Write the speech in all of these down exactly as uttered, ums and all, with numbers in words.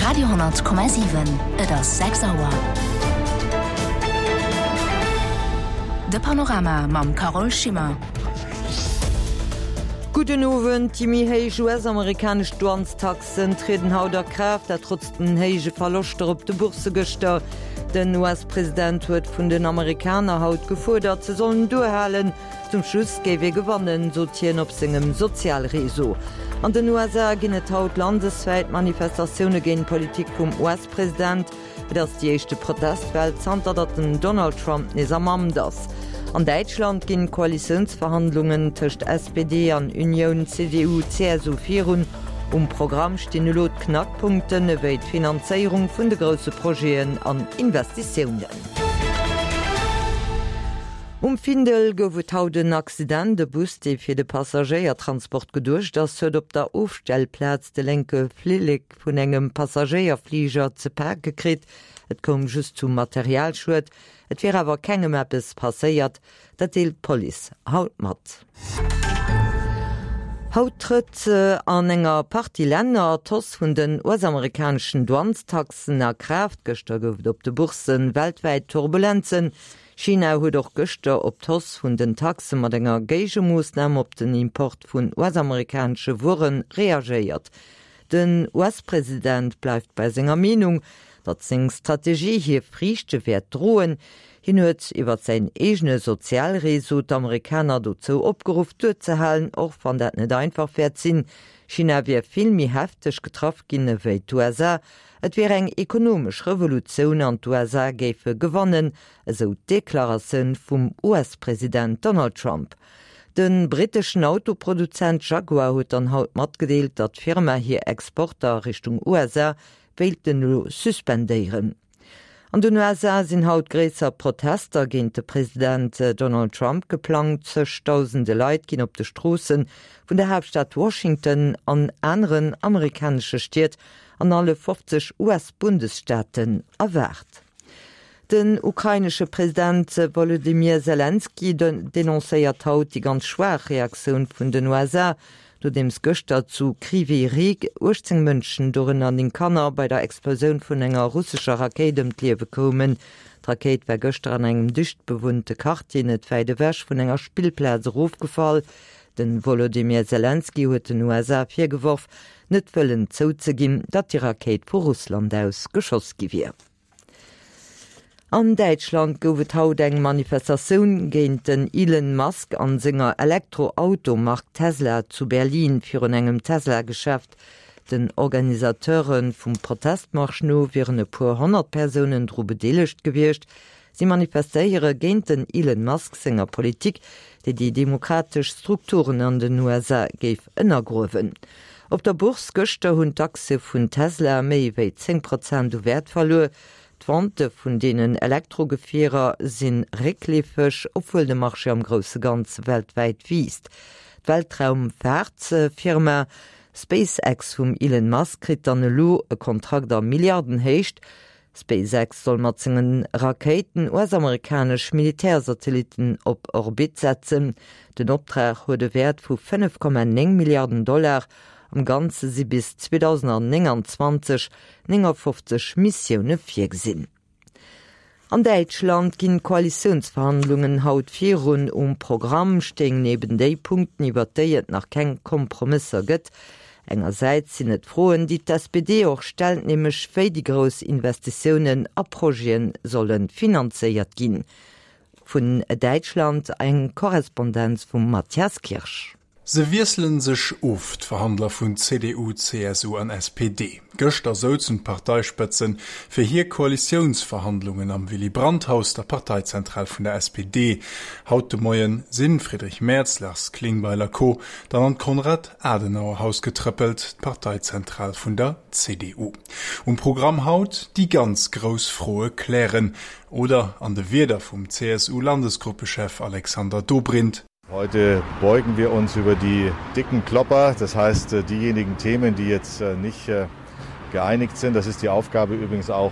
Radio honnert Komma siwen, Et ass sechs Auer. De Panorama mam Carole Schimmer. Gudden Owend, Déi méi héich U S-amerikanesch Douanestaxen trieden haut a Kraaft, dat trotz den héije Verloschter op de Boursse gëschter. Den U S-President huet vun den Amerikaner haut gefuerdert, se sollen duerhalen. Zum Schluss géif ee gewannen, sot hien op sengem Sozialreseau. An den U S A ginn et haut landeswäit Manifestatioune géint d'Politik vum U S-President. Et ass déi éischte Protestwell zanter datt den Donald Trump nees am Amt ass. An Däitschland ginn d'Koalitiounsverhandlungen tëscht S P D an Unioun C D U C S U virun. Um Programm stinn elo d'Knackpunkten ewéi d'Finanzéierung vun de grousse Projeten an Investitiounen. Um Findel gouf et haut en Accident. De Bus, dee fir de Passagéiertransport geduecht ass, huet op der Ofstellplaz de lénke Flillek vun engem Passagéierfliger ze pake kritt. Et koum just zu Materialschued, et wier awer kengem eppes passéiert, dat deelt d'Police haut mat. Haut trëtt an enger Partie Länner d'Hausse vun den U S-amerikaneschen Douanestaxen a Kraaft. Gëschter gouf et op de Boursse weltwäit Turbulenzen. China huet och gëschter op d'Hausse vun den Taxe mat enger Géigemoossnam op den Import vun U S-amerikanesche Wuere reagéiert. Den U S-President bleift bei senger Meenung, datt seng Strategie hir Friichte wäert droen. Hien huet iwwer säin eegene Sozialreseau d'Amerikaner dozou opgeruff duerzehalen, och wann dat net einfach wäert sinn. China wier vill méi hefteg getraff ginn ewéi d'U S A. Et wier eng ekonomesch Revolutioun an d'U S A géife gewannen, esou d'Deklaratioun vum U S-President Donald Trump. De britteschen Autoproduzent Jaguar huet dann haut matgedeelt, datt d'Firma hir Exporter Richtung U S A wéilten elo suspendéieren. An den U S A sinn haut gréisser Protester géint de President Donald Trump geplangt. Zegdausende Leit ginn op de Stroosse vun der Haaptstad Washington an aneren amerikanesche Stied an alle fofzeg U S-Bundesstaaten erwaart. Den ukrainesche President Wolodymyr Selenskyj denoncéiert haut déi ganz schwaach Reaktioun vun den U S A, nodeems gëschter zu Krywyj Rih uechtzéng Mënschen, dorënner néng Kanner, bei der Explosioun vun enger russescher Rakéit ëm d'Liewe koumen. D'Rakéit war gëschter an engem dicht bewunnte Quartier net wäit ewech vun enger Spillplaz erofgefall. De Wolodymyr Selenskyj huet den U S A virgeworf, net wëllen zouzeginn, datt déi Rakéit vu Russland aus geschoss gi wier. An Däitschland gouf et haut eng Manifestatioun géint den Elon Musk an senger Elektroautomark Tesla zu Berlin virun engem Tesla-Geschäft. Den Organisateure vum Protestmarsch no wieren e puer honnert Persounen dru bedeelegt gewiescht. Si manifestéiere géint den Elon Musk senger Politik, déi déi demokratesch Strukturen an den U S A géif ënnergruewen. Op der Bourse gëschter hunn d'Aktie vun Tesla méi wéi zéng Prozent u Wäert verluer. D'Vente vun deenen Elektrogefierer si réckleefeg, obwuel de Marché am grousse Ganze weltwäit wiisst. D'Weltraumfaartfirma SpaceX vum Elon Musk kritt dann elo e Kontrakt a Milliardenhéicht. SpaceX soll mat sengen Rakéiten U S-amerikanesch Militärsatellitten op Orbit setzen. Den Optrag huet e Wäert vu fënnef Komma néng Milliarden Dollar. Am Ganze si bis zweedausendnénganzwanzeg néngafofzeg Missioune virgesinn. An Däitschland ginn d'Koalitiounsverhandlungen haut virun. Um Programm stinn eben déi Punkten, iwwer déi et nach keng Kompromësser gëtt. Engersäits sinn et Froen, déi d'S P D och stellt, nämlech wéi déi grouss Investitiounen a Projete solle finanzéiert ginn. Vun Däitschland eng Korrespondenz vum Matthias Kirsch. Se wiesselen sech of, d'Verhandler vun C D U, C S U an S P D. Gëschter souzen d'Parteispëtzen fir hir Koalitiounsverhandlungen am Willy Brandt-Haus, der Parteizentral vun der S P D. Haut de Moien sinn Friedrich Merz, Lars Klingbeil a Co. Dann an d'Konrad-Adenauer-Haus getrëppelt, d'Parteizentral vun der C D U. Um Programm haut déi ganz grouss Froe klären oder an de Wierder vum C S U-Landesgruppechef Alexander Dobrindt: Heute beugen wir uns über die dicken Klopper, das heißt diejenigen Themen, die jetzt nicht geeinigt sind. Das ist die Aufgabe übrigens auch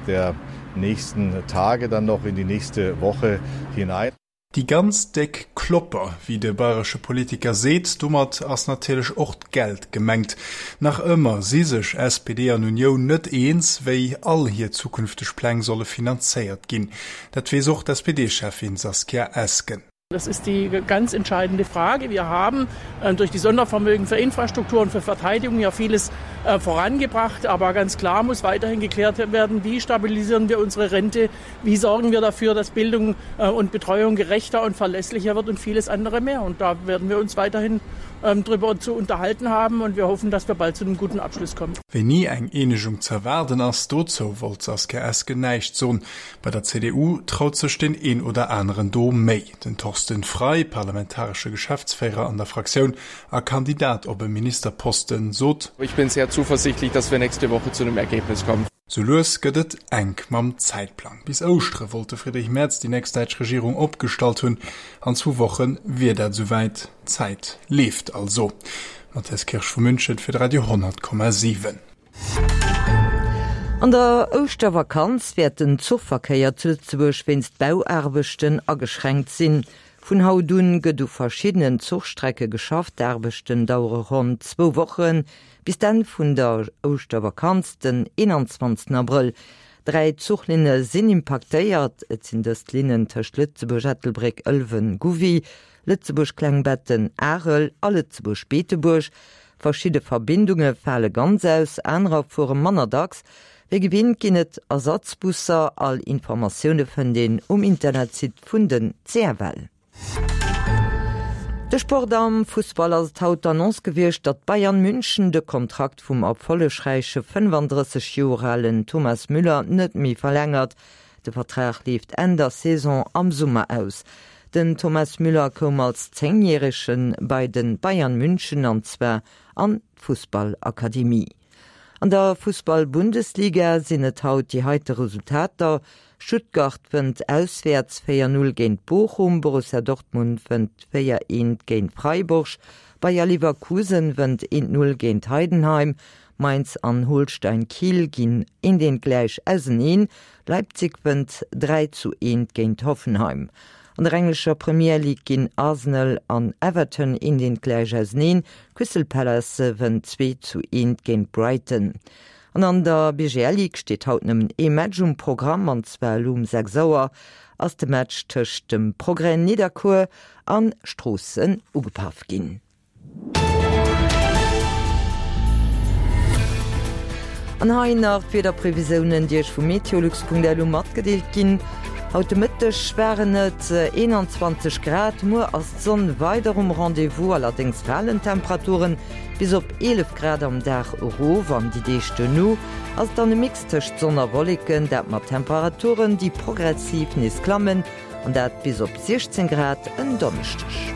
der nächsten Tage dann noch in die nächste Woche hinein. Déi ganz déck Klopper, wéi de bayresche Politiker seet, domat ass natierlech och d'Geld gemengt. Nach ëmmer si sech SPD an Unioun net eens, wéi all hir zukünfteg Pläng solle finanzéiert ginn. Dat weess och d'SPD-Cheffin Saskia Esken. Das ist die ganz entscheidende Frage. Wir haben äh, durch die Sondervermögen für Infrastruktur und für Verteidigung ja vieles äh, vorangebracht. Aber ganz klar muss weiterhin geklärt werden, wie stabilisieren wir unsere Rente, wie sorgen wir dafür, dass Bildung äh, und Betreuung gerechter und verlässlicher wird und vieles andere mehr. Und da werden wir uns weiterhin ähm, darüber zu unterhalten haben und wir hoffen, dass wir bald zu einem guten Abschluss kommen. Wéini eng Eenegung ze erwaarden ass, dozou wollt d'Saskia Esken näischt soen. Bei der CDU traut sech deen een oder aneren do méi. Den Thorsten Frei, parlamentaresche Geschäftsféierer an der Fraktioun a Kandidat op e Ministerposten, sot, Ich bin sehr zuversichtlich, dass wir nächste Woche zu einem Ergebnis kommen. Sou lues gëtt et enk mam Zäitplang. Bis Ouschtere wollt de Friedrich Merz déi nächst däitsch Regierung opgestallt hunn. An zwou Woche wier dat souwäit. D'Zäit leeft also. Matthias Kirsch vu München fir de Radio honnert Komma siwen. An der Ouschtervakanz wäert den Zuchverkéier zu Lëtzebuerg wéinst Bauaarbechten ageschränkt sinn. Vun haut un gëtt u verschiddenen Zuchstrecke geschafft, d'Aarbechten dauere ronn zwou Wochen, bis d'Enn vun der Ouschtervakanz, den eenanzwanzegsten Abrëll. Dräi Zuchlinne sinn impaktéiert, et sinn dëst d'Linnen tëscht Lëtzebuerg Ettelbréck, Ëlwen, Gouvy, Lëtzebuerg Klengbetten, Arel a Lëtzebuerg Beetebuerg. Verschidde Verbindunge fale ganz aus, anerer fuere manner dacks. Wéi gewinnt ginn et Ersatzbusser. All Informatioune fënnt een um Internetsite vun den CFL. De Sport Am Fussball ass et haut d'Annonce gewiescht, datt Bayern München de Kontrakt vum erfollegräiche fënnefandrësseg Joer alen Thomas Müller net méi verlängert. De Vertrag leeft Enn der Saison am Summer aus. Den Thomas Müller koum als Zéngjärege bei de Bayern München an zwar an d'Fussballakademie. An der Fussball-Bundesliga sinn et haut déi heite Resultater, Stuttgart wënnt auswäerts véier Null géint Bochum, Borussia Dortmund wënnt véier eent géint Freiburg, Bayer Leverkusen wënnt eent Null géint Heidenheim, Mainz an Holstein Kiel ginn eent eent gläich auseneen, Leipzig wënnt dräi zu eent géint Hoffenheim. An der englescher Premier League ginn Arsenal an Everton eent eent gläich auseneen, Crystal Palace wënnt zwee zu eent géint Brighton. An an der B G L Ligue steet haut nëmmen ee Match um Programm, an zwar elo um sechs Auer ass de Match tëscht dem Progrès Nidderkuer an Stroossen ugepaff ginn. An hei nach d'Wiederprevisiounen, déi Iech vu meteolux Punkt L U matgedeelt ginn. Haut de Mëtteg waren et eenanzwanzeg Grad, muer ass d'Sonn weider um Rendez-vous, allerdéngs falen d'Temperaturen bis op eelef Grad am Dag erof. An déi Deeg duerno ass et dann e Mix tëscht Sonn a Wolleken, dat mat Temperaturen, déi progressiv nees klammen, an dat bis op siechzéng Grad en Donneschdeg.